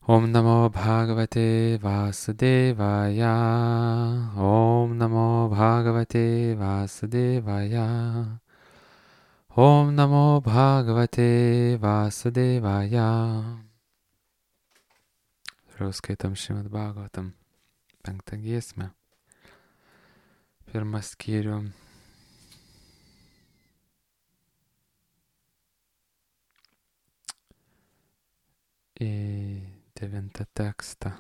Om Namo Bhagavate Vasudevaya. Om Namo Bhagavate Vasudevaya. Om Namo Bhagavate Vasudevaya. Toliau skaitom Šrimad Bhagavatam 5 giesmę. Pirmą skyrių. Į 9 tekstą.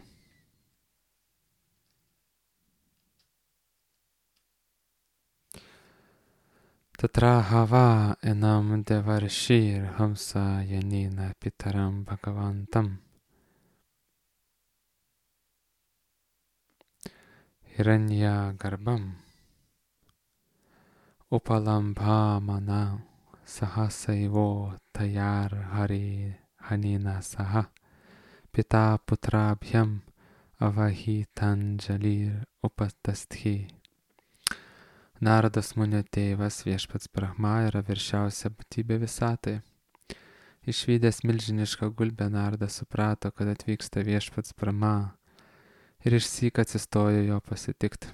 Tatra hava enam devarshir hamsa yanina pitaram bhagavantam. Hiranya garbam. Upalambhamana sahasaivo tayar hari hanina saha. Pita putrabhyam avahitanjalir upastasthi. Nardas Munio tėvas viešpats Brahma yra viršiausia būtybė visatai. Išvydęs milžinišką gulbę Nardas suprato, kad atvyksta viešpats Brahma ir išsyk atsistojo jo pasitikti.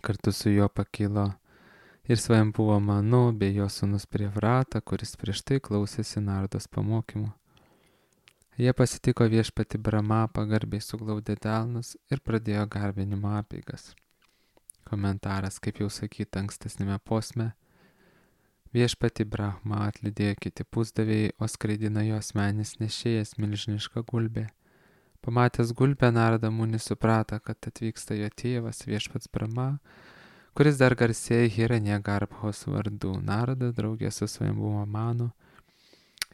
Kartu su juo pakilo ir Svajambuva Manu bei jo sūnus Privrata, kuris prieš tai klausėsi Nardos pamokymų. Jie pasitiko viešpatį Brahma, pagarbiai suglaudė delnus ir pradėjo garbinimo apeigas. Komentaras, kaip jau sakyta ankstesnėme posme, viešpatį Brahma atlydėjo kiti pusdavėjai, o skraidino jo asmenis nešėjas milžinišką gulbę. Pamatęs gulbę, Narada Munis suprato, kad atvyksta jo tėvas viešpats Brahma, kuris dar garsėja Hiranya Garbhos vardu. Narada draugė su Svajambuva Manu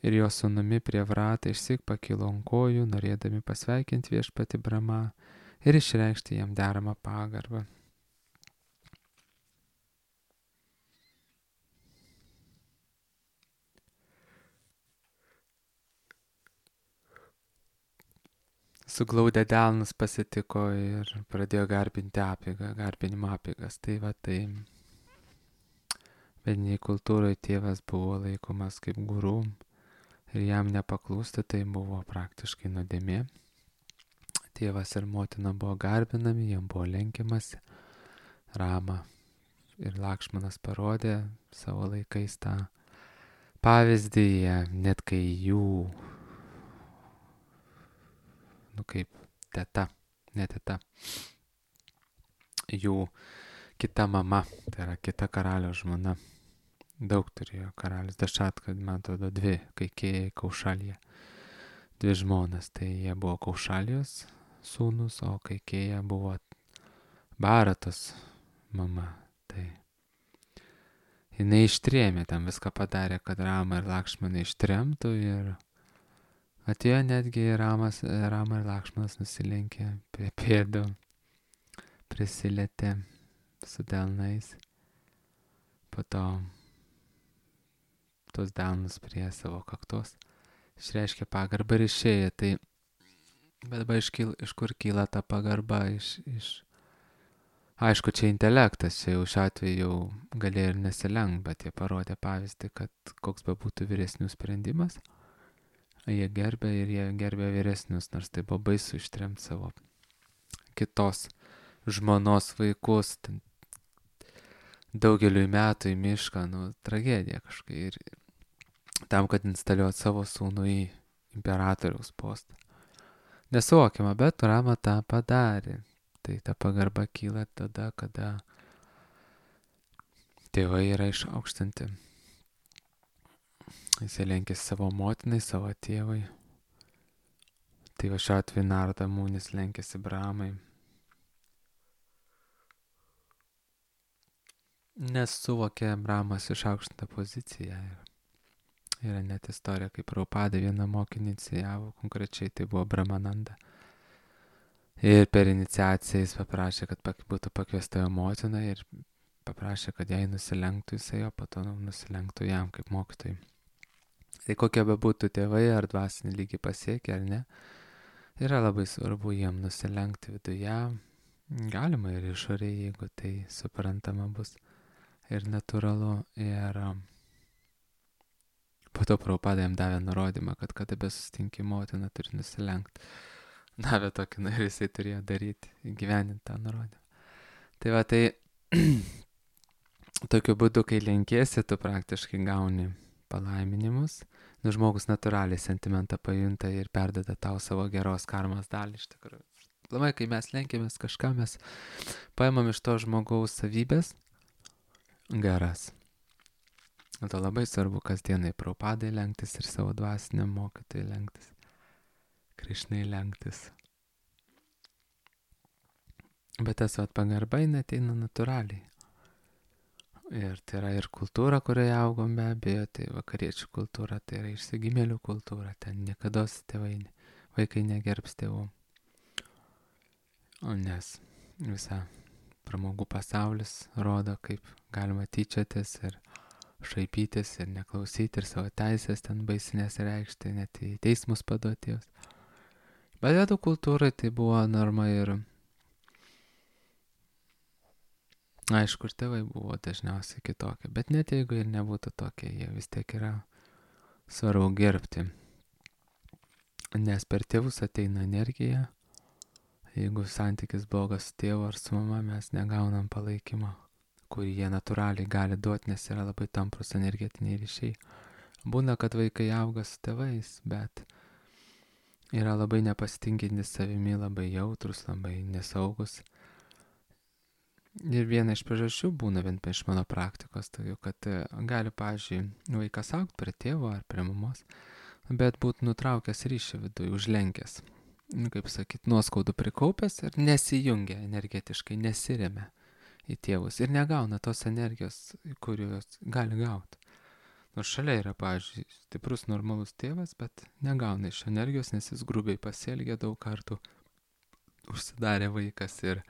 ir jo sūnumi Privrata išsyk pakilo ant kojų, norėdami pasveikinti viešpatį Brahma ir išreikšti jam deramą pagarbą. Suglaudę delnus pasitiko ir pradėjo garbinimo apeigas. Tai vediniai kultūroje tėvas buvo laikomas kaip guru ir jam nepaklūsti tai buvo praktiškai nuodėmė. Tėvas ir motina buvo garbinami, jam buvo lenkiamasi. Rama ir Lakšmanas parodė savo laikais tą pavyzdį, net kai jų kaip jų kita mama, tai yra kita karalio žmona. Daug turėjo karalius Dašatka, man atrodo, 2, Kaikėja, Kaušalija. 2 žmonas, tai jie buvo Kaušalijos sūnus, o Kaikėja buvo Baratos mama. Tai jinai ištrėmė, tam viską padarė, kad Rama ir Lakšmaną ištremtų ir atėjo netgi Rama ir Lakšmanas nusilenkė prie pėdų, prisilietė su delnais, po to tos delnus prie savo kaktos, išreiškė pagarbą ir išėjo. Tai bet dabar iš kur kyla ta pagarba? Aišku, čia intelektas, čia jau šiuo atveju jau galėjo ir nesilenkt, bet jie parodė pavyzdį, kad koks be būtų vyresnių sprendimas, jie gerbė ir jie gerbė vyresnius, nors tai buvo baisu ištremti savo kitos žmonos vaikus daugeliui metų į mišką, tragedija kažkai. Ir tam, kad instaliuoti savo sūnų į imperatoriaus postą. Nesuvokiama, bet Rama tą padarė. Tai ta pagarba kyla tada, kada tėvai yra išaukštinti. Jisai lenkėsi savo motinai, savo tėvai. Tai va šiuo atveju Narada Munis lenkėsi Brahmai. Nes suvokė Brahmas išaukštintą poziciją. Yra net istorija, kaip Prabhupada vieną mokinį inicijavo, konkrečiai tai buvo Brahmananda. Ir per iniciaciją jis paprašė, kad būtų pakviesta jo motina ir paprašė, kad jai nusilenktų jisai, o po to nusilenktų jam kaip mokytojai. Tai kokie be būtų tėvai, ar dvasinį lygį pasiekia, ar ne, yra labai svarbu jiem nusilenkti viduje. Galima ir išorėje, jeigu tai suprantama bus ir natūralu. Ir Po to Prabhupada jam davė nurodymą, kad kada besusitinki motiną, turi nusilenkti. Davė tokį, ir jisai turėjo daryti, įgyvendinti tą nurodymą. Tai va, tai tokiu būdu, kai lenkiesi, tu praktiškai gauni palaiminimus. Žmogus natūraliai sentimentą pajunta ir perdeda tau savo geros karmos dalį iš tikrųjų. Labai, kai mes lenkėmės kažką, mes paimam iš to žmogaus savybės geras. To labai svarbu kasdienai Prabhupadai lenktis ir savo dvasiniam mokytojai lenktis. Krišnai lenktis. Bet tas pagarba ateina natūraliai. Ir tai yra ir kultūra, kurioje augom be abejo, tai vakariečių kultūra, tai yra išsigimėlių kultūra, ten niekada vaikai negerbs tėvų. Nes visa pramogų pasaulis rodo, kaip galima tyčiotis ir šaipytis ir neklausyti ir savo teisės ten baisinės reikšti, net į teismus paduoti jos. Bet vedų kultūrai tai buvo norma ir aišku, ir tėvai buvo dažniausiai kitokie, bet net jeigu ir nebūtų tokie, jie vis tiek yra svarbu gerbti. Nes per tėvus ateina energija, jeigu santykis blogas su tėvu ar su mama, mes negaunam palaikymo, kurį jie natūraliai gali duoti, nes yra labai tamprus energetiniai ryšiai. Būna, kad vaikai auga su tėvais, bet yra labai nepasitinkintis savimi, labai jautrus, labai nesaugus. Ir viena iš priežasčių būna, bent iš mano praktikos, tai kad gali, pavyzdžiui, vaikas augti prie tėvo ar prie mamos, bet būtų nutraukęs ryšį viduje, užlenkęs. Kaip sakyt, nuoskaudų prikaupęs ir nesijungia energetiškai, nesiremia į tėvus ir negauna tos energijos, kurios gali gauti. Nors šalia yra, pavyzdžiui, stiprus normalus tėvas, bet negauna iš energijos, nes jis grubiai pasielgia daug kartų, užsidarė vaikas ir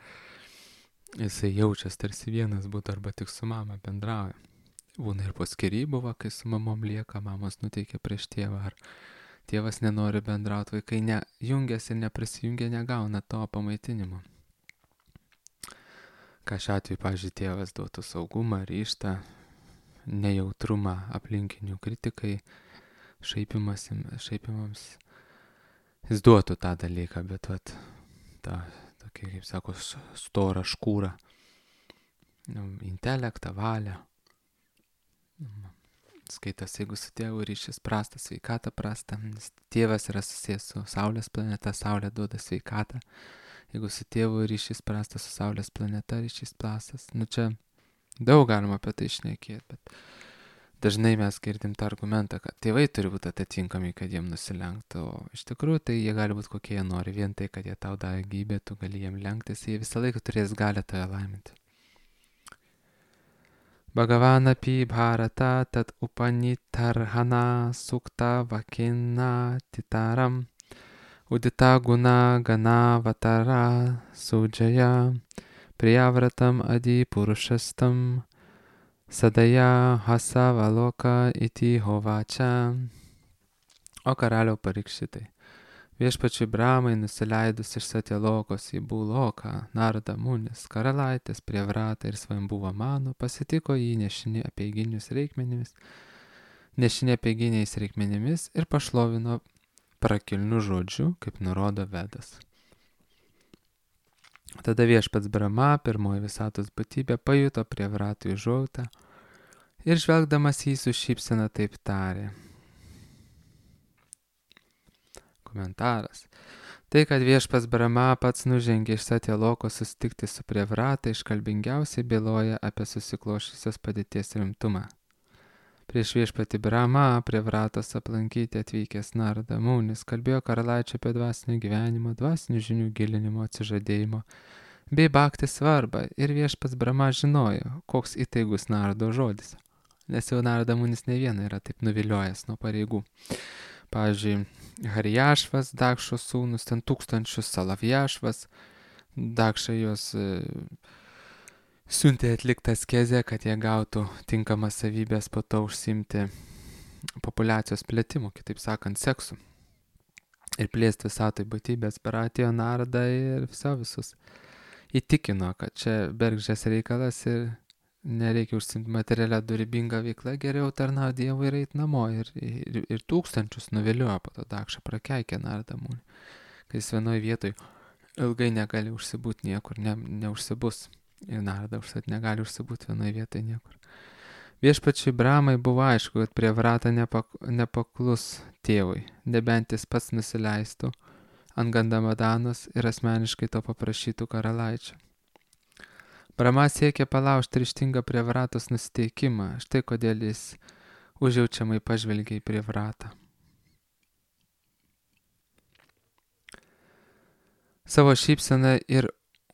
jisai jaučiasi tarsi vienas būtų arba tik su mama bendrauja. Būna ir po skyrybų, kai su mamom lieka, mamos nuteikia prieš tėvą, ar tėvas nenori bendrauti, vaikai nejungiasi ir neprisijungia, negauna to pamaitinimo. Ką šiuo atveju, pavyzdžiui, tėvas duotų saugumą, ryžtą, nejautrumą aplinkinių kritikai, šaipimams. Jis duotų tą dalyką, bet tą tokį, kaip sako, storą škūrą, intelektą, valią. Skaitas, jeigu su tėvu ryšys prastas, sveikata prasta, nes tėvas yra susijęs su Saulės planeta, Saulė duoda sveikatą. Jeigu su tėvu ryšys prastas, su Saulės planeta ryšys prastas. Čia daug galima apie tai šnekėti, bet dažnai mes girdim tą argumentą, kad tėvai turi būti atitinkami, kad jiem nusilenktų. O iš tikrųjų tai jie gali būti kokie jie nori. Vien tai, kad jie tau davė gyvybę, tu gali jiem lenktis, jie visą laiką turės galę tave laiminti. Bhagavanapi bharata tat upanitarhana sukta vakina titaram udita guna gana vatara sujaya priyavratam adi purushastam sadaya hasavaloka iti hovačia. O karaliau Parikšitai, viešpačiui Bramai nusileidus iš Satyalokos į Būloką, Narada Munis, karalaitės Prievratą ir Svambuvą Manu pasitiko jį nešinė apeiginiais reikmenimis ir pašlovino prakilnių žodžių, kaip nurodo Vedas. Tada viešpats Brahma, pirmoji visatos būtybė, pajuto Prievratui užuojautą ir žvelgdamas jį su šypsena taip tarė. Komentaras. Tai, kad viešpats Brahma pats nužengė iš Satyalokos susitikti su Prievrata, iškalbingiausiai byloja apie susiklošusios padėties rimtumą. Prieš viešpatį Brahma Prievratos aplankyti atvykęs Narada Munis kalbėjo karalaičio apie dvasinio gyvenimo, dvasinių žinių gilinimo, atsižadėjimo bei bhakti svarbą ir viešpats Brahma žinojo, koks įtaigus Narado žodis. Nes jau Narada Munis ne vieną yra taip nuviliojęs nuo pareigų. Pavyzdžiui, Harijašvas, Dakšo sūnus, ten 1000 Salavjašvas, Dakša juos siuntė atliktą askezę, kad jie gautų tinkamas savybės po to užsimti populiacijos plėtimu, kitaip sakant, seksu. Ir plėsti visatoj būtybės, per atėjo Narada ir visus įtikino, kad čia bergždžias reikalas ir nereikia užsimti materialią dorybingą veiklą, geriau tarnauti Dievui ir eiti namo. Ir tūkstančius nuviliojo po to Dakša prakeikė Nardamūnį, kai jis vienoje vietoje ilgai negali užsibūti niekur, neužsibus. Ir Narda užsat negali užsibūti vienoje vietoje niekur. Viešpačiui Bramai buvo aišku, kad prie vrata nepaklus tėvui, nebent jis pats nusileistų ant Gandamadanos ir asmeniškai to paprašytų karalaičio. Brama siekė palaužti ryžtingą prie vratos nusiteikimą, štai kodėl jis užjaučiamai pažvelgė į prie vratą. Savo šypseną ir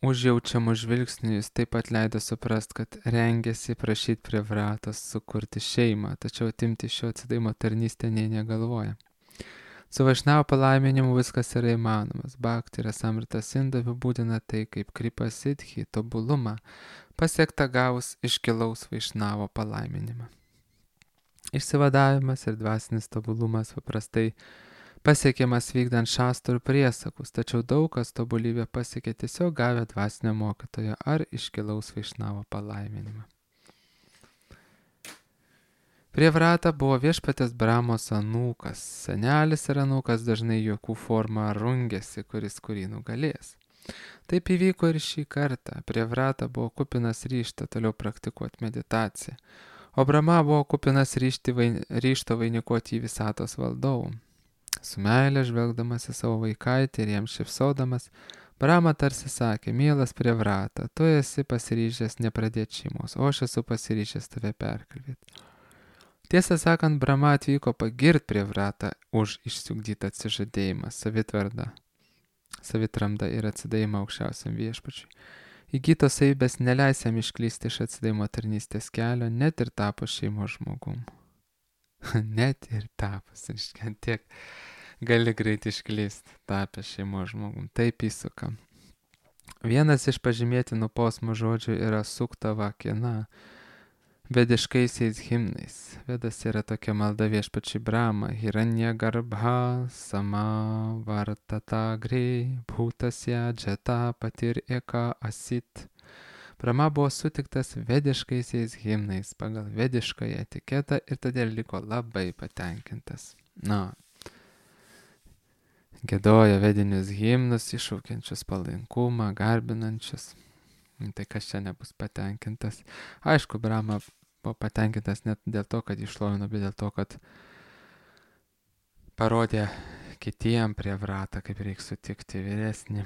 užjaučiamų žvilgsnių jis taip pat leido suprast, kad rengėsi prašyti prie vratos sukurti šeimą, tačiau atimti šio atsidavimo tarnystę nė negalvoja. Su Vaišnavo palaiminimu viskas yra įmanomas. Bhakti ir Samrita Sindhu apibūdina tai kaip kripa siddhi, tobulumą, pasiektą gavus iškilaus Vaišnavo palaiminimą. Išsivadavimas ir dvasinis tobulumas paprastai pasiekiamas vykdant šastrų priesakus, tačiau daug kas tobulybę pasiekė tiesiog gavę dvasinio mokytojo ar iškilaus Vaišnavo palaiminimą. Prie vrata buvo viešpatės Bramos anūkas. Senelis ir anūkas dažnai juokų formą rungėsi, kuris kurį nugalės. Taip įvyko ir šį kartą. Prie vrata buvo kupinas ryžto toliau praktikuoti meditaciją, o Brama buvo kupinas ryžto vainikuoti į visatos valdovų. Su meilė žvelgdamas į savo vaikaitį ir jam šypsodamas, Brama tarsi sakė: mielas prie vrata, tu esi pasiryžęs nepradėti šeimos, o aš esu pasiryžęs tave perkalbėti. Tiesą sakant, Brama atvyko pagirt prie vratą už išsiugdytą atsižadėjimą, savitramdą ir atsidavimą aukščiausiam viešpačiui. Įgytos savybės neleis jam išklysti iš atsidavimo tarnystės kelio, net ir tapus šeimos žmogum. Net ir tapus, tiek gali greit išklysti, tapęs šeimos žmogum. Taip įsuka. Vienas iš pažymėtinų posmų žodžių yra suktava kina, vediškaisiais himnais. Vedas yra tokia malda viešpačiui Brahma: Hiranya garbha sama vartata gri bhutasya jata patir eka asit. Brahma buvo sutiktas vediškaisiais himnais pagal vediškąją etiketą ir todėl liko labai patenkintas. Giedojo vedinius himnus, iššaukiančius palankumą, garbinančius. Tai kas čia nebus patenkintas? Aišku, Brahma buvo patenkintas net dėl to, kad išlovino, bet dėl to, kad parodė kitiem prie vratą, kaip reikia sutikti vyresnį.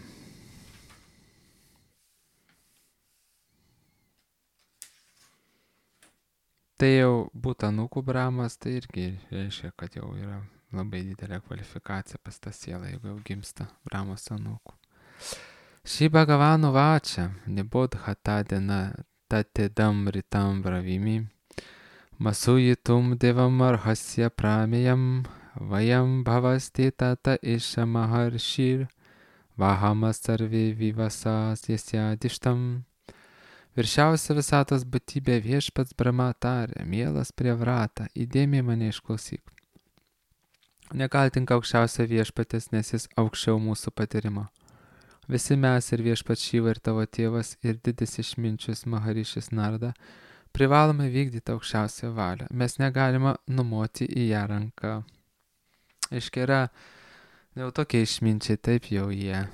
Tai jau būtų anūkų Brahmas, tai irgi reiškia, kad jau yra labai didelė kvalifikacija pas tą sielą, jeigu jau gimsta Brahmos anūkų. Šį Bhagavano vačia, nibodhata dena tatedam ritam bravimi, masujitum devam arhasya prameyam, vayam bhavasti tata isha maharshir, vahamas sarvi vivasas jasyadishtam. Viršiausia visatos būtybė viešpats Brahma tarė: mielas prie vratą, įdėmiai mane išklausyk. Nekaltink aukščiausią viešpatės, nes jis aukščiau mūsų patyrimo. Visi mes ir viešpats Šiva ir tavo tėvas ir didis išminčius Maharišis Narda privalome vykdyti aukščiausią valią. Mes negalime numoti į ją ranką. Aiškiai yra, jau tokie išminčiai, taip jau jie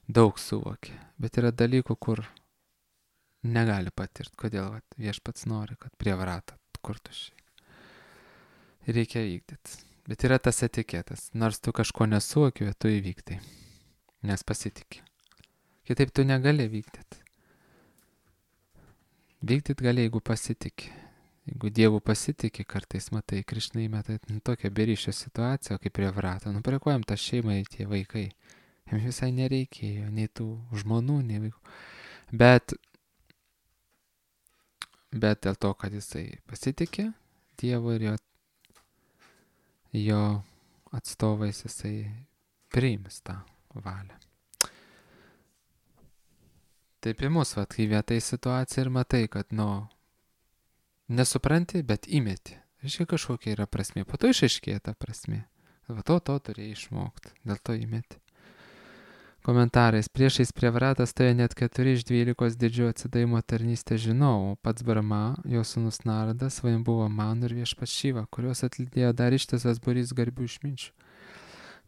daug suvokia, bet yra dalykų, kur negali patirti. Kodėl viešpats nori, kad prie vratą kurtų šiai. Reikia vykdyti. Bet yra tas etiketas. Nors tu kažko nesuvoki, tu įvyktai. Nes pasitikė. Kitaip tu negali vykdyti. Vykdyti gali, jeigu pasitikė. Jeigu Dievu pasitikė, kartais matai, Krišna įmeta tokią beryšio situaciją, kaip prie vrato. Prie ko jam tą šeimą į tie vaikai? Jam visai nereikėjo, nei tų žmonų, nei vaikų. Bet dėl to, kad jisai pasitikė Dievu ir jo atstovais, jisai priims tą valią. Taip į mus, kai vietai situacija ir matai, kad, nesupranti, bet įmeti. Aiškiai kažkokia yra prasmė. Po to išaiškėja ta prasmė. To turėjai išmokti, dėl to įmeti. Komentarais. Priešais Prievratą stoja net 4 iš 12 didžiojo atsidavimo tarnystės žinovų. Pats Brahma, jo sūnus Nardas, Svajambuva Manu ir Viešpats Šiva, kuriuos atlydėjo dar ištisas būrys garbių išminčių.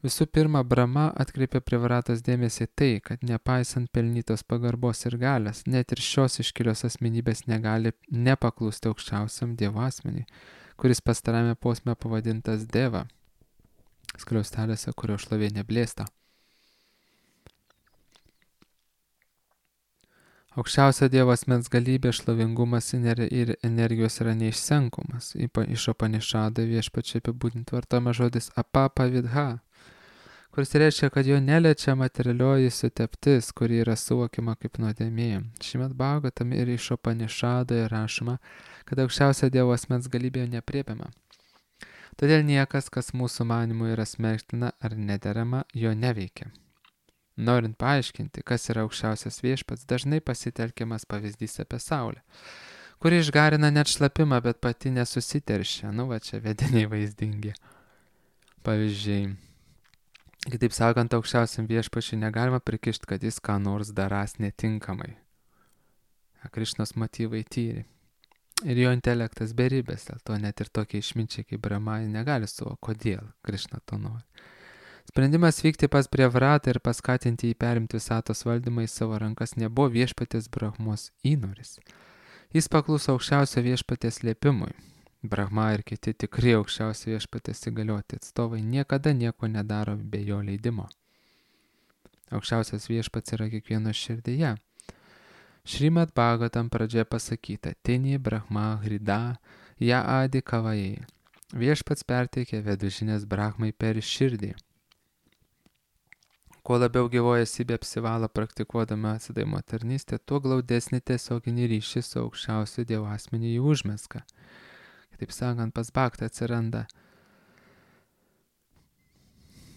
Visų pirma, Brahma atkreipė Prievratos dėmesį tai, kad nepaisant pelnytos pagarbos ir galios, net ir šios iškilios asmenybės negali nepaklusti aukščiausiam Dievo asmeniui, kuris pastarame posme pavadintas Deva, skliaustelėse, kurio šlovė neblėsta. Aukščiausio Dievo asmens galybė, šlovingumas ir energijos yra neišsenkomas. Iš Upanišado Viešpačiui apibūdinti vartojama žodis apapavidha, kuris reiškia, kad jo neliečia materialioji suteptis, kuri yra suvokiama kaip nuodėmė. Šimad Bhagavatam ir iš Upanišado rašoma, kad aukščiausio Dievo asmens galybė nepriepiama. Todėl niekas, kas mūsų manimu yra smerktina ar nederama, jo neveikia. Norint paaiškinti, kas yra aukščiausias Viešpats, dažnai pasitelkiamas pavyzdys apie Saulę, kuri išgarina net šlapimą, bet pati nesusiteršia. Čia vediniai vaizdingi. Pavyzdžiai. Kitaip sakant, aukščiausiam Viešpačiui negalima prikišti, kad jis ką nors darys netinkamai. Krišnos motyvai tyri. Ir jo intelektas beribės, dėl to net ir tokie išminčiai kaip Brahma negali suvokti, kodėl Krišna to nori. Sprendimas vykti pas Prievratą ir paskatinti jį perimti visatos valdymą į savo rankas nebuvo Viešpaties Brahmos įnoris. Jis pakluso aukščiausio Viešpaties liepimui. Brahma ir kiti tikri aukščiausio Viešpaties įgalioti atstovai niekada nieko nedaro be jo leidimo. Aukščiausias Viešpats yra kiekvieno širdyje. Šrimad Bhagavatam pradžioje pasakyta: Tini Brahma Hrida Ja Adi Kavajai. Viešpats perteikė vedužinės Brahmai per širdį. Kuo labiau gyvoji esybė apsivalo praktikuodama atsidavimo tarnystę, tuo glaudesnį tiesioginį ryšį su aukščiausiu Dievo asmeniu jį užmezga. Kitaip sakant, pas Bhaktą atsiranda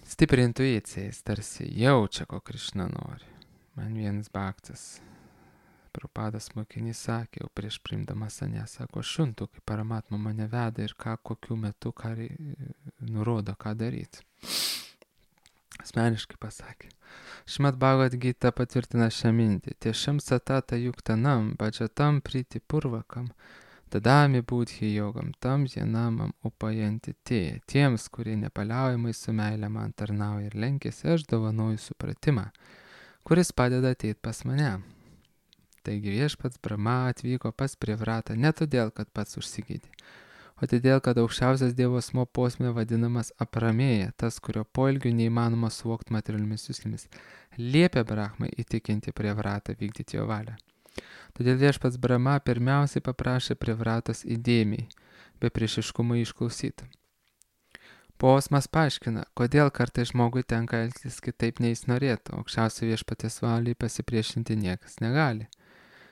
stipri intuicija, jis tarsi jaučia, ko Krišna nori. Man vienas Bhaktas, Prabhupadas mokinys, sakė, jau prieš priimdamas ane, sako, aš juntu, kaip Paramatma mane veda ir kokiu metu ką nurodo, ką daryti. Asmeniškai pasakė. Šrimad Bhagavad Gita patvirtina šią mintį. Tiešam satata yuktanam, bhajatam priti purvakam, dadami budhi yogam, tam jenamam upajanti tie. Tiems, kurie nepaliaujamai su meile man tarnauja ir lenkėsi, aš dovanoju supratimą, kuris padeda ateiti pas mane. Taigi Viešpats Brahma atvyko pas Prievratą ne todėl, kad pats užsigydė, o todėl, kad aukščiausias Dievo asmuo posme vadinamas Apramėja, tas, kurio poelgių neįmanoma suvokti materialiomis juslėmis, liepia Brahmai įtikinti Prievratą vykdyti jo valią. Todėl Viešpats Brahma pirmiausiai paprašė Prievratos įdėmiai, be priešiškumo išklausyti. Posmas paaiškina, kodėl kartais žmogui tenka elgtis kitaip nei jis norėtų, aukščiausio Viešpaties valiai pasipriešinti niekas negali.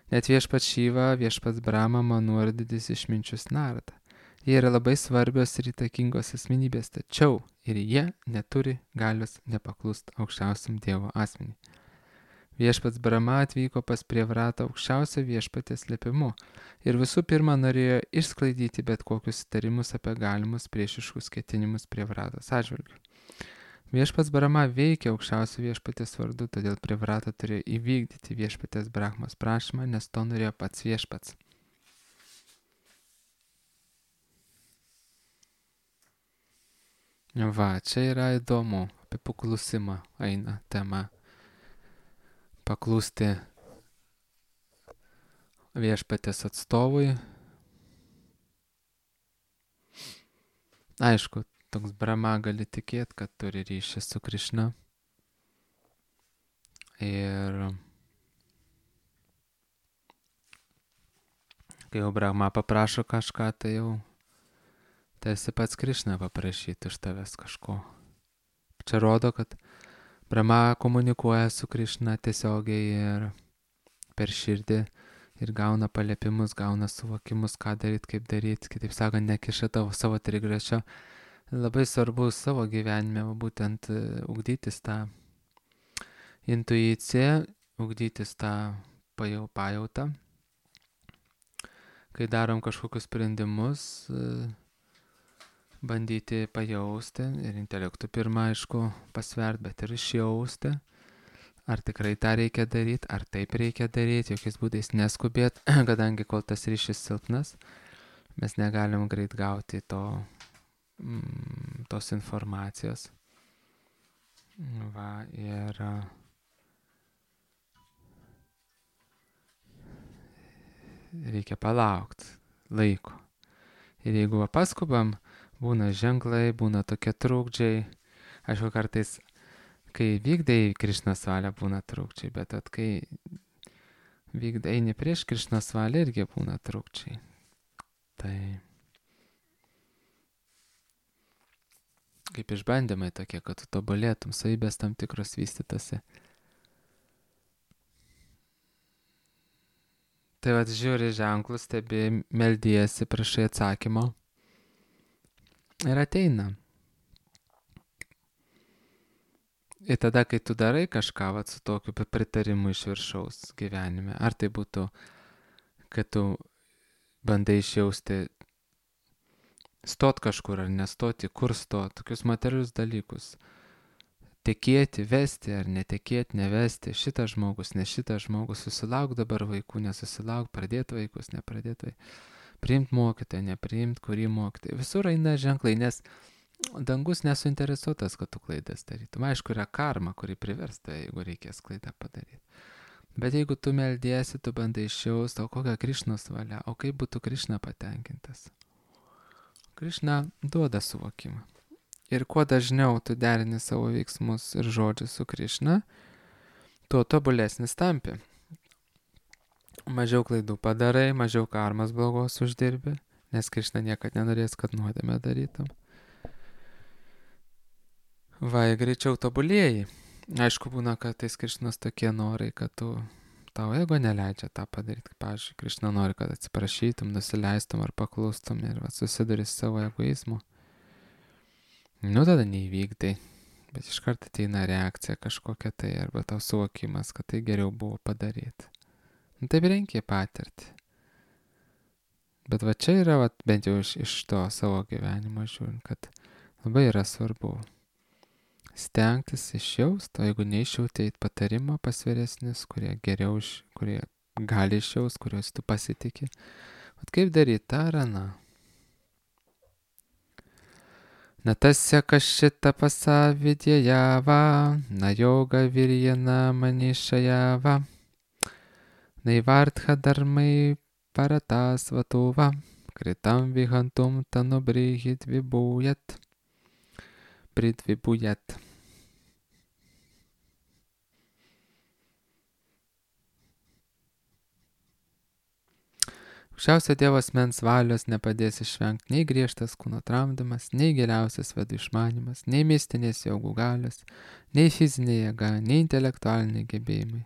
Net Viešpats Šiva, Viešpats Brahma, Manu ir didis išminčius Narada. Jie yra labai svarbios ir įtakingos asmenybės, tačiau ir jie neturi galios nepaklusti aukščiausiam Dievo asmeniui. Viešpats Brahma atvyko pas Prievratą aukščiausio Viešpaties liepimu ir visų pirma norėjo išsklaidyti bet kokius įtarimus apie galimus priešiškus ketinimus Prievratos atžvilgiu. Viešpats Brahma veikia aukščiausio Viešpaties vardu, todėl Prievrata turėjo įvykdyti Viešpaties Brahmos prašymą, nes to norėjo pats Viešpats. Čia yra įdomu, apie paklusimą eina tema. Paklusti Viešpaties atstovui. Aišku, toks Brahma gali tikėti, kad turi ryšį su Krišna. Ir kai jau Brahma paprašo kažką, tai jau tarsi pats Krišna paprašyti iš tavęs kažko. Čia rodo, kad Brahma komunikuoja su Krišna tiesiogiai ir per širdį ir gauna paliepimus, gauna suvokimus, ką daryti, kaip daryti. Kitaip sakant, nekiša tavo savo trigrašio. Labai svarbu savo gyvenime būtent ugdytis tą intuiciją, ugdytis tą pajautą. Kai darom kažkokius sprendimus, bandyti pajausti ir intelektų pirmą, aišku, pasvert, bet ir išjausti, ar tikrai tą reikia daryti, ar taip reikia daryti, jokiais būdais neskubėt, kadangi kol tas ryšys silpnas, mes negalim greit gauti tos informacijos. Va, ir reikia palaukti laiko. Ir jeigu paskubam, būna ženklai, būna tokie trukdžiai. Aišku, kartais, kai vykdai Krišnos valią, būna trukdžiai, bet kai eini prieš Krišnos valią, irgi būna trukdžiai. Tai kaip išbandymai tokie, kad tu tobulėtum, savybės tam tikros vystytose. Tai vat žiūri ženklus, stebi, meldiesi, prašai atsakymo ir ateina. Ir tada, kai tu darai kažką vat, su tokiu pritarimu iš viršaus gyvenime, ar tai būtų, kad tu bandai išjausti, stot kažkur ar nestoti, kur stot, tokius materialius dalykus. Tekėti, vesti ar netekėti, nevesti, šitas žmogus, ne šitas žmogus, susilauk dabar vaikų, nesusilauk, pradėti vaikus, nepradėti vaikus, priimti mokytoją, nepriimti, kurį mokytoją. Visur eina ženklai, nes dangus nesuinteresuotas, kad tu klaidas darytum. Aišku, yra karma, kuri priversta, jeigu reikės klaidą padaryti. Bet jeigu tu meldiesi, tu bandai išjausti, o kokia Krišnos valia, o kaip būtų Krišna patenkintas. Krišna duoda suvokimą. Ir kuo dažniau tu derini savo veiksmus ir žodžius su Krišna, tuo tobulesnis tampi. Mažiau klaidų padarai, mažiau karmas blogos uždirbi, nes Krišna niekad nenorės, kad nuodėmę darytum. Va, greičiau tobulėjai. Aišku, būna, kad tais Krišnos tokie norai, kad tau ego neleidžia tą padaryti. Pavyzdžiui, Krišna nori, kad atsiprašytum, nusileistum ar paklustum ir susiduri su savo egoizmu. Tada neįvykdai, bet iš karto ateina reakcija kažkokia tai, arba tau suvokimas, kad tai geriau buvo padaryti. Taip reikia patirti. Bet va čia yra, bent jau iš to savo gyvenimo žiūrint, kad labai yra svarbu stengtis išjaust, o jeigu neišjauti, eit patarimą pas vyresnius, kurie geriau, kurie gali išjaust, kuriuos tu pasitiki. Kaip daryti tą ar aną? Na tasya kašita pasavidėjava, na yoga virjana manishayava, naivartha dharmai paratas vatova, kritam vihantum tanubrihit vibujat, pridvibujat. Aukščiausio Dievo asmens valios nepadės išvengti nei griežtas kūno tramdymas, nei giliausias vedų išmanimas, nei mistinės jogų galios, nei fizinė jėga, nei intelektualiniai gebėjimai.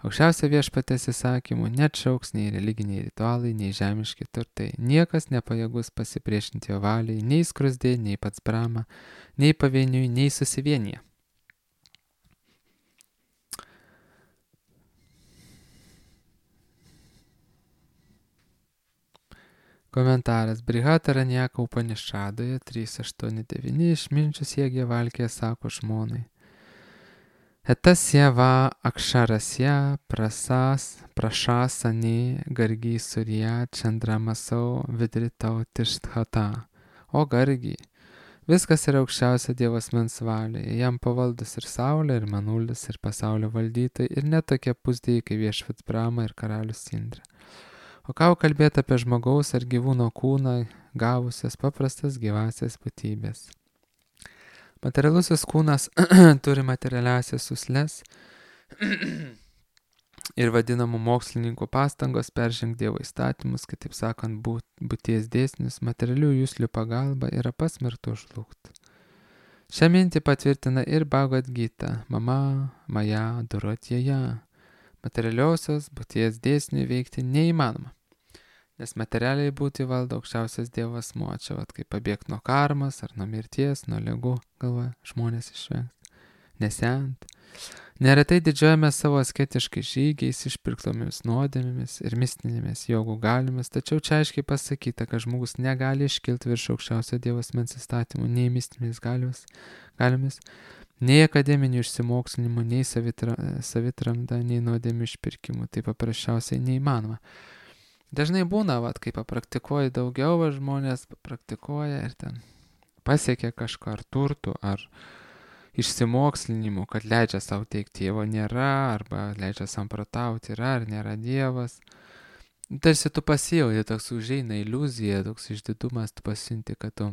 Aukščiausio Viešpaties įsakymų neatšauks nei religiniai ritualai, nei žemiški turtai. Niekas nepajėgus pasipriešinti jo valiai, nei skrusdė, nei pats Brahma, nei pavieniui, nei susivienyje. Komentaras. Brihadaranyaka Upanišadoje 3.8.9 išminčius Jėgė Valkė sako žmonai. Etasya va akšarasya prašasani gargi surya čandramasau vidritau tišthata. O gargi, viskas yra aukščiausio Dievo asmens valioje, jam pavaldus ir saulė, ir manulis, ir pasaulio valdytojai, ir net tokie pusdėjai kaip viešpats Brahma ir karalius Indra. O ką kalbėti apie žmogaus ar gyvūno kūną, gavusias paprastas gyvasias būtybės. Materialusis kūnas turi materialiasias uslės ir vadinamų mokslininkų pastangos peržengti Dievo įstatymus, kitaip sakant, būties dėsnius, materialių juslių pagalba yra pasmerktų žlugti. Šią mintį patvirtina ir Bhagavad Gita, Mama Maja Durotjeja. Materialiosios būties dėsnių veikti neįmanoma, nes materialiai būti valdo aukščiausias Dievas asmuo. Čia kaip pabėgti nuo karmas ar nuo mirties, nuo ligų, galvoja žmonės išvengti, nesent. Neretai didžiuojame savo asketiškai žygiais, išpirktomis nuodėmėmis ir mistinėmis jogų galiomis, tačiau čia aiškiai pasakyta, kad žmogus negali iškilti virš aukščiausio Dievo asmens įstatymų nei mistinėmis galiomis, Nei akademinių išsimokslinimų, nei savitramda, nei nuodėmių išpirkimų. Tai paprasčiausiai neįmanoma. Dažnai būna, kai papraktikuoji daugiau, žmonės praktikuoja ir ten pasiekia kažką ar turtų, ar išsimokslinimų, kad leidžia savo teikti Dievo nėra, arba leidžia samprotauti yra ar nėra Dievas. Tarsi tu pasijauti, toks užeina iliuzija, toks išdidumas, tu pasinti, kad tu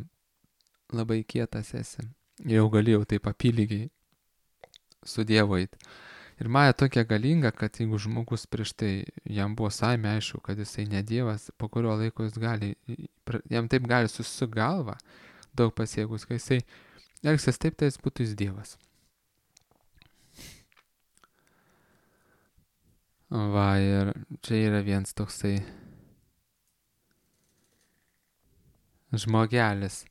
labai kietas esi. Jau galėjau taip apylygiai su Dievu eiti. Ir Maja tokia galinga, kad jeigu žmogus prieš tai jam buvo saime aišku, kad jisai ne Dievas, po kurio laiko jam taip gali susigalva daug pasiekus, kai jisai elgsis taip, tai jis būtų jis Dievas. Ir čia yra vienas toksai žmogelis,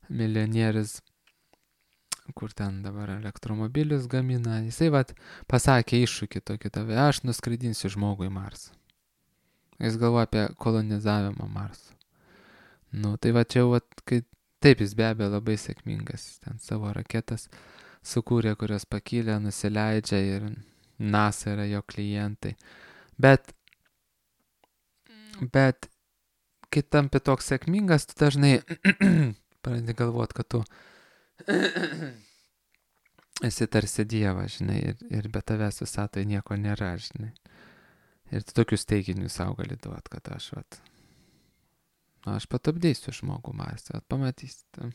milijonierius, kur ten dabar elektromobilius gamina. Jisai pasakė iššūkį tokį tave, aš nuskraidinsiu žmogų į Marsą. Jis galvoja apie kolonizavimą Marso. Tai čia jau, taip jis be abejo labai sėkmingas. Ten savo raketas sukūrė, kurios pakylė, nusileidžia ir NASA yra jo klientai. Bet kai tampi toks sėkmingas, tu dažnai pradedi galvoti, kad tu esi tarsi Dievas, žinai, ir be tavęs visatoje nieko nėra, žinai. Ir tu tokius teiginius savo gali duoti, kad aš patupdysiu žmogų Marsą, pamatysite.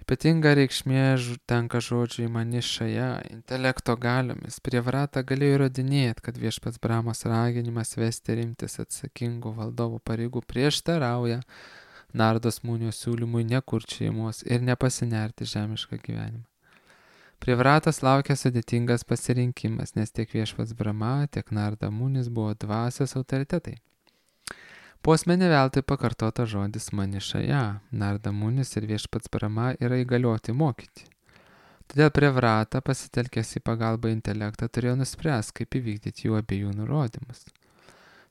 Ypatinga reikšmė tenka žodžiui manišaja, intelekto galiomis. Prievratą galėjo įrodinėti, kad viešpats Brahmos raginimas vesti rimtis atsakingų valdovų pareigų prieštarauja Nardos Munio siūlymui nekurti šeimos ir nepasinerti žemišką gyvenimą. Prievratas laukia sudėtingas pasirinkimas, nes tiek viešpats Brahma, tiek Narda Munis buvo dvasios autoritetai. Posmenį veltui pakartota žodis manišaja. Narda Munis ir viešpats Brahma yra įgalioti mokyti. Todėl Prievratą pasitelkęs į pagalbą intelektą turėjo nuspręsti, kaip įvykdyti jų abiejų nurodymus.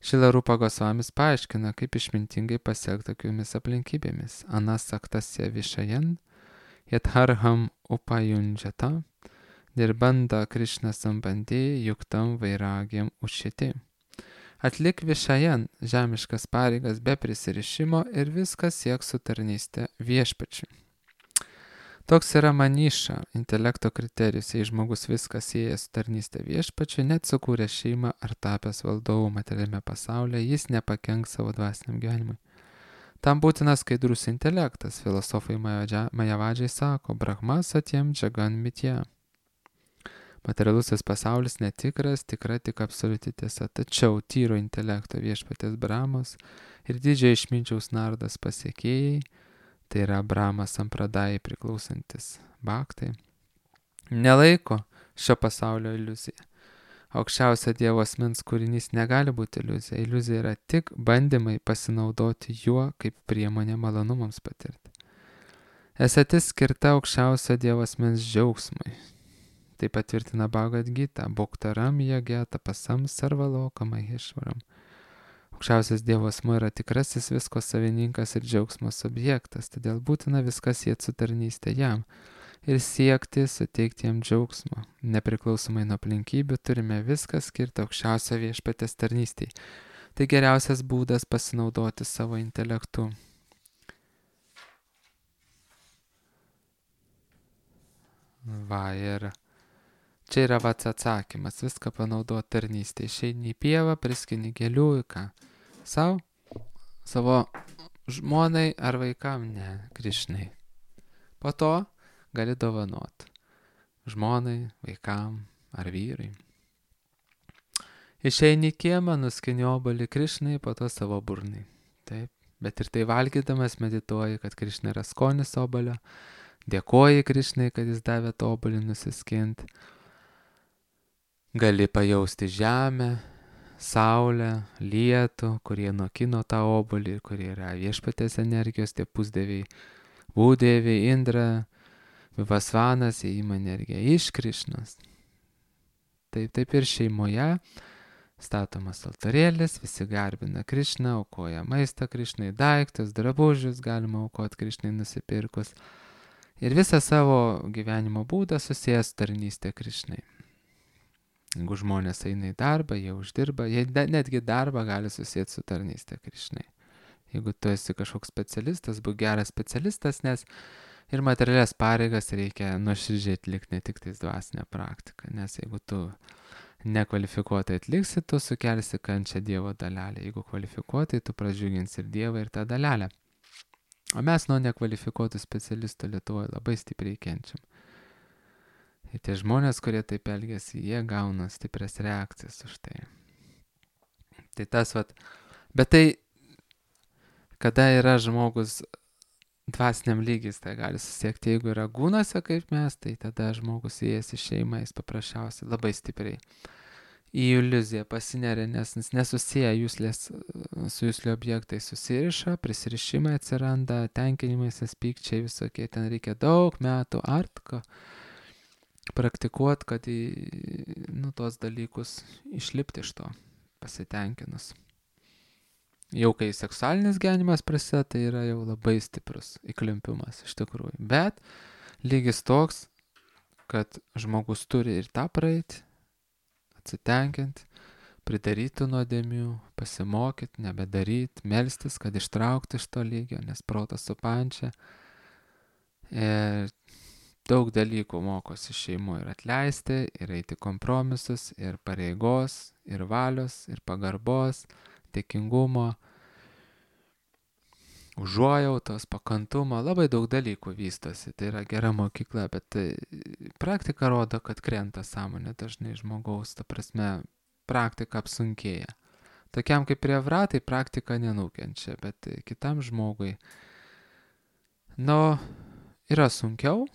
Šilarupa Gosvamis paaiškina, kaip išmintingai pasiekti tokiomis aplinkybėmis. Anasaktasya višajan, yatharham upajunjata, dirbanda Krishna sambandė yuktam vairagiam učiti. Atlik višajan žemiškas pareigas be prisirišimo ir viskas sieks su tarnyste viešpačiui. Toks yra maniša, intelekto kriterijus, jei žmogus viskas sieja su tarnyste viešpačiui, net sukūrė šeimą ar tapęs valdovų materialiame pasaulyje, jis nepakenks savo dvasiniam gyvenimui. Tam būtinas skaidrus intelektas. Filosofai Majavadžiai sako, Brahma satyam džagan mitya. Materialusis pasaulis netikras, tikra tik absoliuti tiesa. Tačiau tyro intelekto viešpatės Brahmos ir didžiojo išminčiaus Nardos pasiekėjai, tai yra Brahmas sampradajai priklausantis bhaktai, nelaiko šio pasaulio iliuzija. Aukščiausio Dievo asmens kūrinys negali būti iliuzija. Iliuzija yra tik bandymai pasinaudoti juo kaip priemonė malonumams patirti. Esatis skirta aukščiausio Dievo asmens džiaugsmui. Tai patvirtina Bhagavad Gita, Bhoktaram Yagya Tapasam Sarvaloka Maheshvaram. Aukščiausias Dievo asmuo yra tikrasis visko savininkas ir džiaugsmo subjektas, todėl būtina viskas sieti su tarnyste jam ir siekti suteikti jam džiaugsmo. Nepriklausomai nuo aplinkybių turime viską skirti aukščiausio viešpatės tarnystei. Tai geriausias būdas pasinaudoti savo intelektu. Ir čia yra atsakymas, viską panaudoti tarnystėje. Išeini į pievą, priskini gėlių, ką? Savo žmonai ar vaikam? Ne, Krišnai. Po to gali dovanoti žmonai, vaikam ar vyrai. Išeini į kiemą, nuskini obuolį Krišnai, po to savo burnai. Taip, bet ir tai valgydamas medituoji, kad Krišna yra skonis obuolio, dėkoji Krišnai, kad jis davė tą obuolį nusiskinti. Gali pajausti žemę, saulę, lietų, kurie nokino tą obuolį, kurie yra viešpatės energijos, tie pusdieviai, būdieviai, Indra, Vivasvanas, įima energiją iš Krišnos. Taip ir šeimoje Statomas altarėlis, visi garbina Krišną, aukoja maistą Krišnai, daiktus, drabužius galima aukoti Krišnai nusipirkus. Ir visą savo gyvenimo būdą susijęs tarnystę Krišnai. Jeigu žmonės eina į darbą, jie uždirba, jie netgi darbą gali susijęti su tarnystė Krišnai. Jeigu tu esi kažkoks specialistas, būk geras specialistas, nes ir materialias pareigas reikia nuoširdžiai atlikti, ne tik tais dvasinę praktiką. Nes jeigu tu nekvalifikuotai atliksi, tu sukelsi kančią Dievo dalelę. Jeigu kvalifikuotai, tu pradžiuginsi ir Dievą, ir tą dalelę. O mes nuo nekvalifikuotų specialistų Lietuvoje labai stipriai kenčiam. Ir tie žmonės, kurie taip elgiasi, jie gauna stiprias reakcijas už tai. Tai tas bet tai, kada yra žmogus dvasiniam lygis, tai gali susiekti, jeigu yra gūnose kaip mes, tai tada žmogus įėjęs į šeimą, jis paprasčiausiai labai stipriai į iliuziją pasineria, nes nesusiję jūslės su jūslio objektais susiriša, prisirišimai atsiranda, tenkinimasis, pykčiai visokie, ten reikia daug metų artko praktikuoti, kad tuos dalykus išlipti iš to pasitenkinus. Jau kai seksualinis gyvenimas prasideda, tai yra jau labai stiprus įklimpimas iš tikrųjų. Bet lygis toks, kad žmogus turi ir tą praeiti, atsitenkinti, pridaryti nuodėmių, pasimokyti, nebedaryti, melstis, kad ištraukti iš to lygio, nes protas supančia. Ir daug dalykų mokosi šeimų ir atleisti, ir eiti kompromisus, ir pareigos, ir valios, ir pagarbos, dėkingumo, užuojautos, pakantumo, labai daug dalykų vystosi. Tai yra gera mokykla, bet praktika rodo, kad krenta sąmonė dažnai žmogaus, ta prasme, praktika apsunkėja. Tokiam kaip prievratai praktika nenukenčia, bet kitam žmogui, yra sunkiau,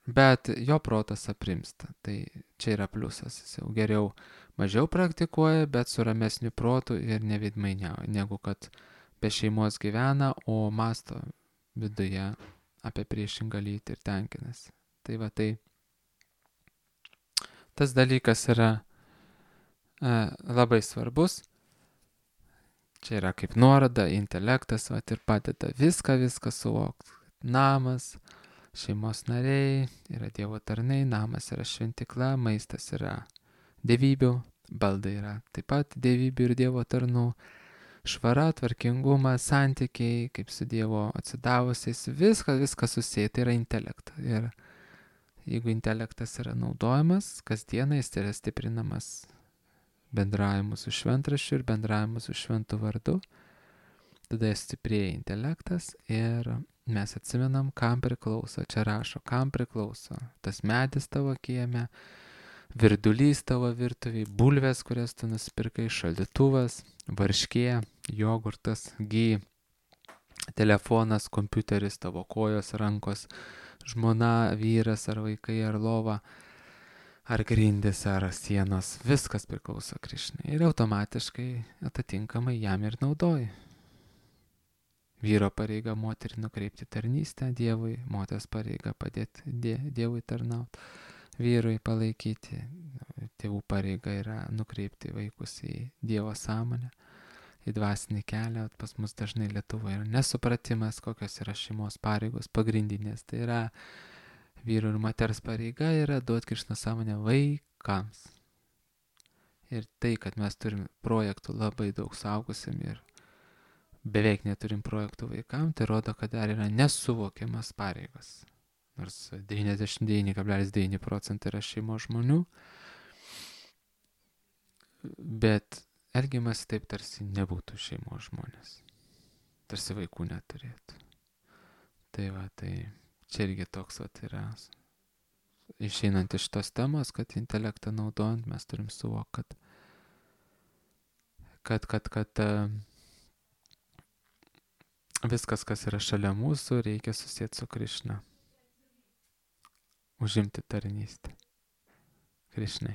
bet jo protas aprimsta. Tai čia yra pliusas, jis jau geriau mažiau praktikuoja, bet su ramesniu protu ir neveidmainiauja, negu kad be šeimos gyvena, o masto viduje apie priešingą lytį ir tenkinasi. Tai tas dalykas yra labai svarbus. Čia yra kaip nuoroda, intelektas ir padeda viską suvokti. Namas, šeimos nariai, yra Dievo tarnai, namas yra šventikla, maistas yra dievybių, baldai yra taip pat dievybių ir Dievo tarnų, švara, tvarkingumas, santykiai, kaip su Dievo atsidavusiais, viskas susiję, tai yra intelektas. Ir jeigu intelektas yra naudojamas, kasdieną jis yra stiprinamas bendravimu su šventraščiu ir bendravimu su šventu vardu, tada stiprėja intelektas ir mes atsimenam, kam priklauso. Čia rašo, kam priklauso tas medis tavo kieme, virdulys tavo virtuviai, bulvės, kurias tu nusipirkai, šaldytuvas, varškė, jogurtas, telefonas, kompiuteris, tavo kojos, rankos, žmona, vyras ar vaikai, ar lova, ar grindis, ar sienos. Viskas priklauso Krišnai ir automatiškai atitinkamai jam ir naudoji. Vyro pareiga moterį nukreipti tarnystę Dievui, moters pareiga padėti Dievui tarnauti, vyrui palaikyti. Tėvų pareiga yra nukreipti vaikus į Dievo sąmonę, į dvasinį kelią. Pas mus dažnai Lietuvoje yra nesupratimas, kokios yra šeimos pareigos pagrindinės. Tai yra vyro ir moters pareiga yra duoti Krišnos sąmonę vaikams. Ir tai, kad mes turim projektų labai daug suaugusiam ir beveik neturim projektų vaikam, tai rodo, kad dar yra nesuvokiamas pareigos. Nors 99,9% yra šeimos žmonių, bet elgiamas taip tarsi nebūtų šeimos žmonės. Tarsi vaikų neturėtų. Tai čia irgi toks yra. Išeinant iš tos temos, kad intelektą naudojant, mes turim suvokti, kad viskas, kas yra šalia mūsų, reikia susėti su Krišna. Užimti tarnystę Krišnai.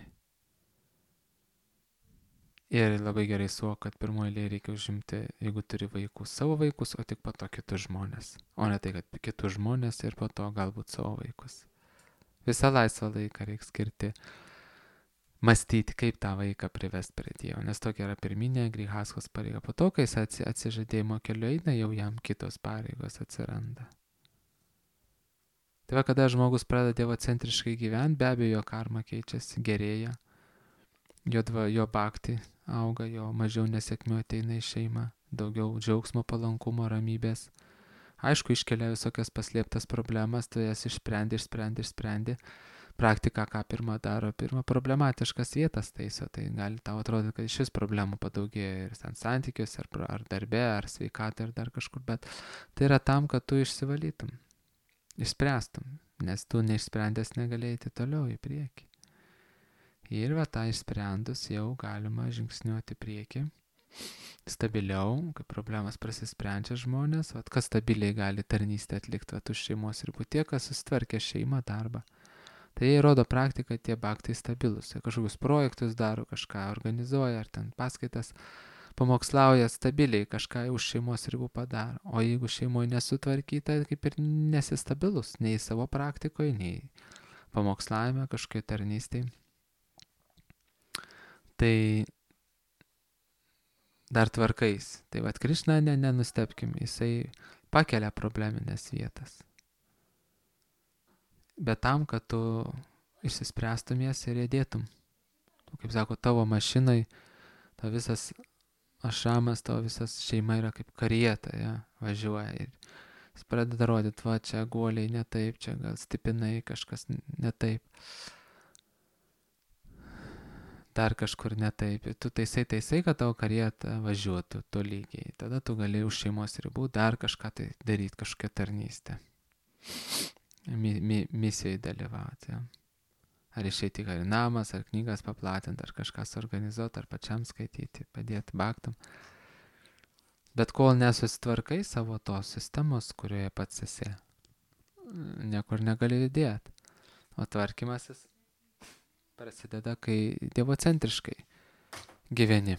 Ir labai gerai suvok, kad pirmoje eilėje reikia užimti, jeigu turi vaikus, savo vaikus, o tik po to kitus žmonės. O ne tai, kad kitus žmonės ir po to galbūt savo vaikus. Visą laisvą laiką reikia skirti mąstyti, kaip tą vaiką privesti prie Dievo, nes tokia yra pirminė Grihaskos pareiga. Po to, kai jis atsižadėjimo keliu eina, jau jam kitos pareigos atsiranda. Tai va, kada žmogus pradeda dievocentriškai gyventi, be abejo, jo karma keičiasi, gerėja, jo bhakti auga, jo mažiau nesėkmių ateina į šeimą, daugiau džiaugsmo, palankumo, ramybės. Aišku, iškelia visokias paslėptas problemas, tu jas išsprendi. Praktika, ką pirmą daro, problematiškas vietas taiso, tai gali tau atrodyti, kad šis problemų padaugėjo ir ten santykiuose, ar darbe, ar sveikatai, ar dar kažkur, bet tai yra tam, kad tu išsivalytum, išspręstum, nes tu neišsprendęs negalėjai eiti toliau į priekį. Ir va tą išsprendus jau galima žingsniuoti priekį, stabiliau, kai problemas prasisprendžia žmonės, va kas stabiliai gali tarnystę atlikti, va už šeimos ribų, tie, kas susitvarkė šeimą, darbą. Tai jie rodo praktiką, tie bhaktai stabilus. Kažkokius projektus daro, kažką organizuoja, ar ten paskaitas pamokslauja stabiliai, kažką už šeimos ribų padaro. O jeigu šeimoje nesutvarkyta, kaip ir nesistabilus, nei savo praktikoje, nei pamokslavime, kažkokiai tarnystėje. Tai dar tvarkais. Tai vat Krišna, nenustebkim, jisai pakelia probleminės vietas. Bet tam, kad tu išsispręstum jas ir jėdėtum. Kaip sako, tavo mašinai, tavo visas ašramas, tavo visas šeima yra kaip karieta, ja, važiuoja. Ir jis pradeda rodyti, va, čia guoliai ne taip, čia gal stipinai kažkas ne taip. Dar kažkur ne taip. Tu taisai, kad tavo karieta važiuotų tolygiai. Tada tu gali už šeimos ribų dar kažką tai daryti, kažkokią tarnystę. Misijai dalyvauti. Ja. Ar išeiti į namas, ar knygas paplatinti, ar kažką suorganizuoti, ar pačiam skaityti, padėti bhaktam. Bet kol nesusitvarkai savo tos sistemos, kurioje pats esi, niekur negali judėti. O tvarkymasis prasideda, kai dievocentriškai gyveni.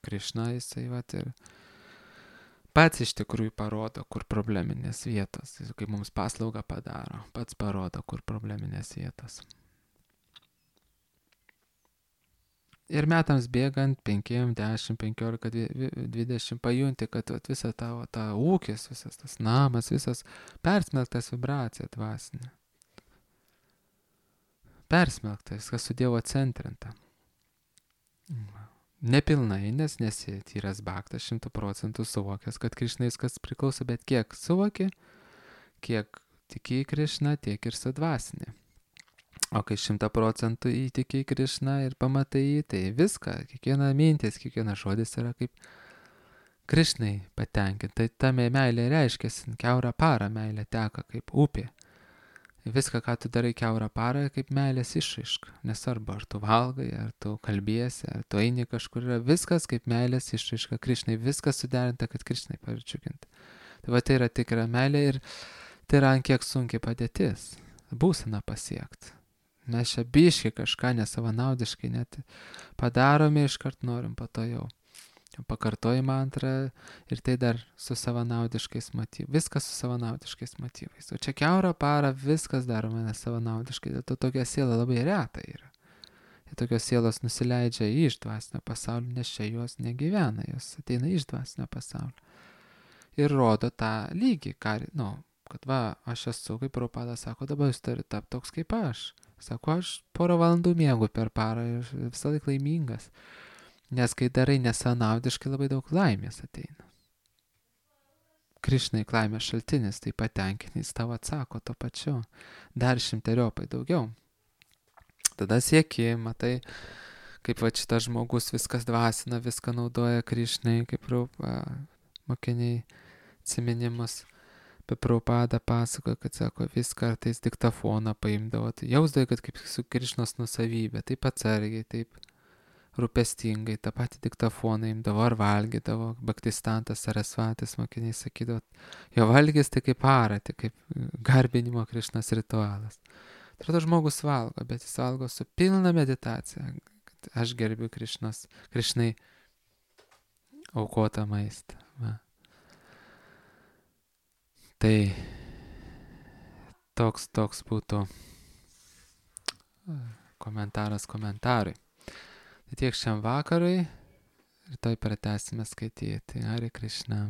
Krišna jisai vat ir pats iš tikrųjų parodo, kur probleminės vietos. Jis kaip mums paslaugą padaro, pats parodo, kur probleminės vietos. Ir metams bėgant 5, 10, 15, 20 pajunti, kad visa tavo ta ūkis, visas tas namas, visas persmelktas vibracija dvasinė. Persmelktas, viskas su Dievo centrinta. Nepilnai, nes nesi tyras bhaktas 100% suvokęs, kad Krišnai viskas priklauso, bet kiek suvoki, kiek tiki į Krišną, tiek ir sudvasinį. O kai 100% įtiki į Krišną ir pamatai jį, tai viską, kiekviena mintis, kiekviena žodis yra kaip Krišnai patenkinti. Tai ta meilė reiškiasi, kiaurą parą meilė teka kaip upė. Viską, ką tu darai kiaurą parą, kaip meilės išraiška. Nesvarbu, ar tu valgai, ar tu kalbiesi, ar tu eini kažkur, yra viskas kaip meilės išraiška Krišnai. Viskas suderinta, kad Krišnai pavirčiukinti. Tai va tai yra tikra meilė ir tai yra ant kiek sunkiai padėtis. Būsena pasiekti. Mes čia biškai kažką nesavanaudiškai net padarome, iškart norim po to jau. Pakartoji mantrą ir tai dar su savanaudiškais motyvais. Viskas su savanaudiškais motyvais. O čia kiaurą parą viskas daroma nesavanaudiškai. Dėl to tokia siela labai reta yra. Ir tokios sielos nusileidžia iš dvasinio pasaulio, nes čia jos negyvena. Jos ateina iš dvasinio pasaulio. Ir rodo tą lygį, kad va, aš esu, kaip Prabhupada sako, dabar jūs turite tapti toks kaip aš. Sako, aš porą valandų miegu per parą ir visą laiką laimingas. Nes kai darai nesanaudiškai, labai daug laimės ateina. Krišnai laimės šaltinis, tai patenkinys tavo atsako to pačiu. Dar 100-eriopai daugiau. Tada sieki, matai, kaip va šitas žmogus viskas dvasina, viską naudoja Krišnai, kaip mokiniai atsiminimus. Apie Prabhupadą pasakoja, kad sako, vis kartais diktafoną paimdavo. Tai jausdavo, kad kaip su Krišnos nusavybė, taip atsargiai, taip rūpestingai, tą patį diktafoną imdavo ar valgydavo, Bhaktistantas Sarasvatis mokiniai sakydavo, jo valgys tai kaip arati, kaip garbinimo Krišnos ritualas. Atrodo, žmogus valgo, bet jis valgo su pilna meditacija, kad aš gerbiu Krišnai aukotą maistą. Va. Tai toks būtų komentaras komentarui. Tai tiek šiam vakarui, rytoj pratęsime skaityti. Hare Krishna.